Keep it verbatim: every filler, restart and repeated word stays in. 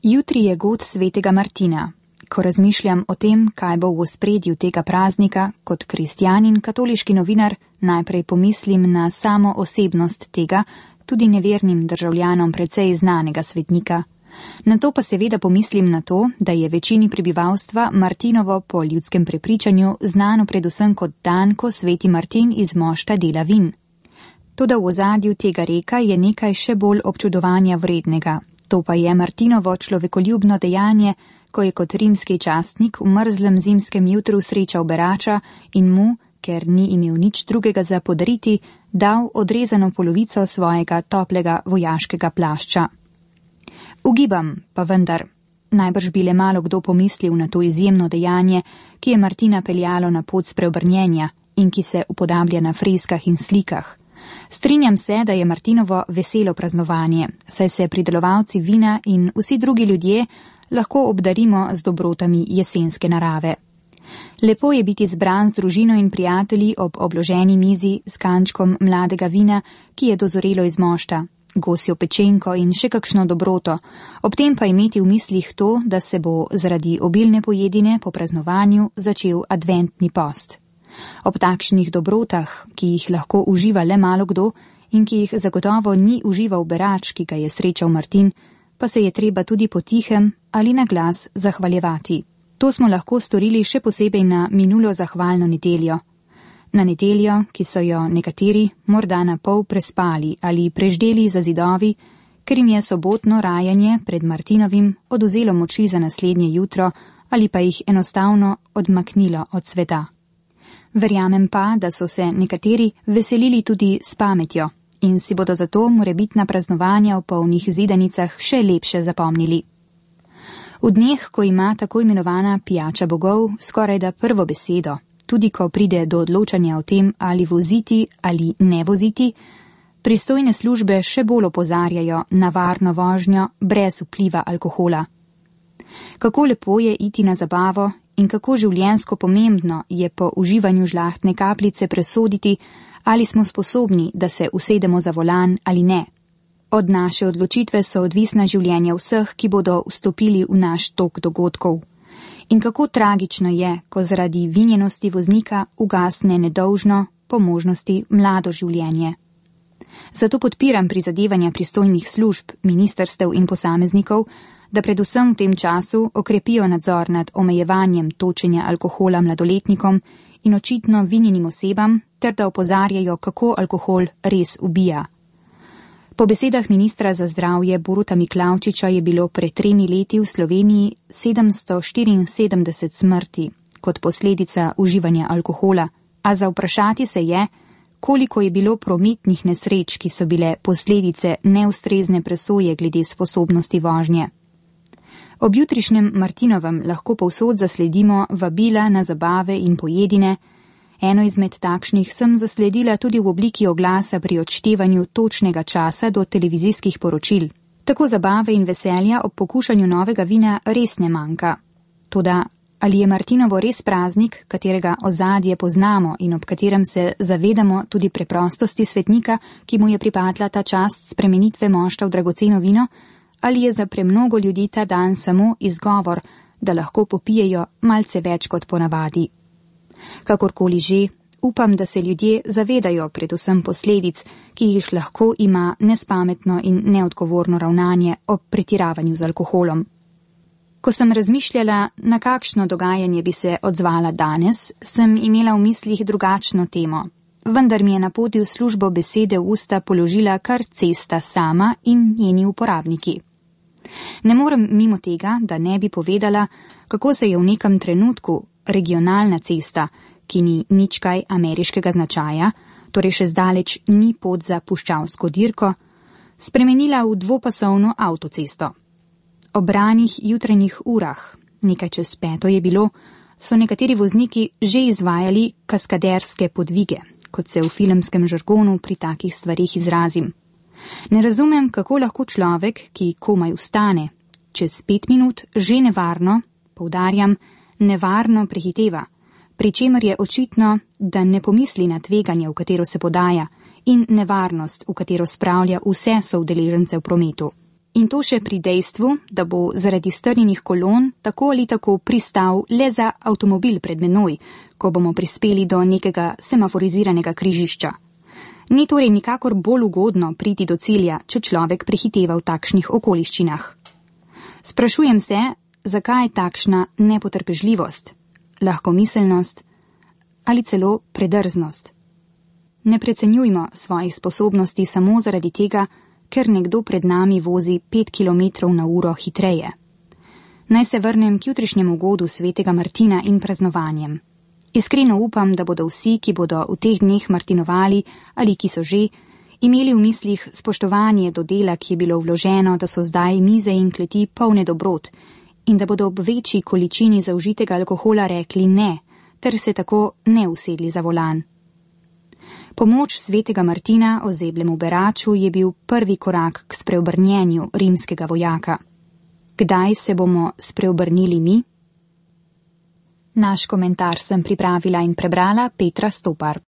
Jutri je god svetega Martina. Ko razmišljam o tem, kaj bo v ospredju tega praznika, kot kristjan in katoliški novinar, najprej pomislim na samo osebnost tega, tudi nevernim državljanom precej znanega svetnika. Nato pa seveda pomislim na to, da je večini prebivalstva Martinovo po ljudskem prepričanju znano predvsem kot dan, ko sveti Martin iz mošta dela vin. Toda v ozadju tega reka je nekaj še bolj občudovanja vrednega. To pa je Martinovo človekoljubno dejanje, ko je kot rimski častnik v mrzlem zimskem jutru srečal berača in mu, ker ni imel nič drugega za podariti, dal odrezano polovico svojega toplega vojaškega plašča. Ugibam, pa vendar, najbrž bi le malo kdo pomislil na to izjemno dejanje, ki je Martina peljalo na pot spreobrnjenja in ki se upodablja na freskah in slikah. Strinjam se, da je Martinovo veselo praznovanje, saj se pridelovalci vina in vsi drugi ljudje lahko obdarimo z dobrotami jesenske narave. Lepo je biti zbran z družino in prijatelji ob obloženi mizi s kančkom mladega vina, ki je dozorelo iz mošta, gosjo pečenko in še kakšno dobroto, ob tem pa imeti v mislih to, da se bo zaradi obilne pojedine po praznovanju začel adventni post. Ob takšnih dobrotah, ki jih lahko uživa le malo kdo in ki jih zagotovo ni užival berač, ki ga je srečal Martin, pa se je treba tudi potihem ali na glas zahvaljevati. To smo lahko storili še posebej na minulo zahvalno nedeljo. Na nedeljo, ki so jo nekateri morda na pol prespali ali preždeli za zidovi, ker jim je sobotno rajanje pred Martinovim odvzelo moči za naslednje jutro ali pa jih enostavno odmaknilo od sveta. Verjamem pa, da so se nekateri veselili tudi s pametjo in si bodo zato morebitna praznovanja v polnih zidanicah še lepše zapomnili. V dneh, ko ima tako imenovana pijača bogov skorajda prvo besedo, tudi ko pride do odločanja o tem, ali voziti ali ne voziti, pristojne službe še bolj opozarjajo na varno vožnjo brez vpliva alkohola. Kako lepo je iti na zabavo in kako življenjsko pomembno je po uživanju žlahtne kapljice presoditi, ali smo sposobni, da se usedemo za volan ali ne. Od naše odločitve so odvisna življenja vseh, ki bodo vstopili v naš tok dogodkov. In kako tragično je, ko zaradi vinjenosti voznika ugasne nedolžno, po možnosti mlado življenje. Zato podpiram prizadevanja pristojnih služb, ministerstev in posameznikov, da predvsem v tem času okrepijo nadzor nad omejevanjem točenja alkohola mladoletnikom in očitno vinjenim osebam, ter da opozarjajo, kako alkohol res ubija. Po besedah ministra za zdravje Boruta Miklavčiča je bilo pred tremi leti v Sloveniji sedemsto štiriinsedemdeset smrti kot posledica uživanja alkohola, a za vprašati se je, koliko je bilo prometnih nesreč, ki so bile posledice neustrezne presoje glede sposobnosti vožnje. Ob jutrišnjem Martinovem lahko povsod zasledimo vabila na zabave in pojedine. Eno izmed takšnih sem zasledila tudi v obliki oglasa pri odštevanju točnega časa do televizijskih poročil. Tako zabave in veselja ob pokušanju novega vina res ne manjka. Toda ali je Martinovo res praznik, katerega ozadje poznamo in ob katerem se zavedamo tudi preprostosti svetnika, ki mu je pripadla ta čast spremenitve mošta v dragoceno vino, ali je za premnogo ljudi ta dan samo izgovor, da lahko popijejo malce več kot ponavadi. Kakorkoli že, upam, da se ljudje zavedajo predvsem posledic, ki jih lahko ima nespametno in neodgovorno ravnanje ob pretiravanju z alkoholom. Ko sem razmišljala, na kakšno dogajanje bi se odzvala danes, sem imela v mislih drugačno temo. Vendar mi je na poti v službo besede v usta položila kar cesta sama in njeni uporabniki. Ne morem mimo tega, da ne bi povedala, kako se je v nekem trenutku regionalna cesta, ki ni nič kaj ameriškega značaja, torej še zdaleč ni pot za puščavsko dirko, spremenila v dvopasovno avtocesto. Ob ranih jutranjih urah, nekaj čez peto je bilo, so nekateri vozniki že izvajali kaskaderske podvige, kot se v filmskem žargonu pri takih stvarih izrazim. Ne razumem, kako lahko človek, ki komaj vstane, čez pet minut že nevarno, poudarjam, nevarno prehiteva, pri čemer je očitno, da ne pomisli na tveganje, v katero se podaja, in nevarnost, v katero spravlja vse soudeležence v prometu. In to še pri dejstvu, da bo zaradi strnjenih kolon tako ali tako pristal le za avtomobil pred menoj, ko bomo prispeli do nekega semaforiziranega križišča. Ni torej nikakor bolj ugodno priti do cilja, če človek prehiteva v takšnih okoliščinah. Sprašujem se, zakaj takšna nepotrpežljivost, lahkomiselnost ali celo predrznost. Ne precenjujmo svojih sposobnosti samo zaradi tega, ker nekdo pred nami vozi pet kilometrov na uro hitreje. Naj se vrnem k jutrišnjemu godu svetega Martina in praznovanjem. Iskreno upam, da bodo vsi, ki bodo v teh dneh martinovali ali ki so že, imeli v mislih spoštovanje do dela, ki je bilo vloženo, da so zdaj mize in kleti polne dobrot in da bodo ob večji količini zaužitega alkohola rekli ne, ter se tako ne usedli za volan. Pomoč svetega Martina ozeblemu beraču je bil prvi korak k spreobrnjenju rimskega vojaka. Kdaj se bomo spreobrnili mi? Naš komentar sem pripravila in prebrala Petra Stopar.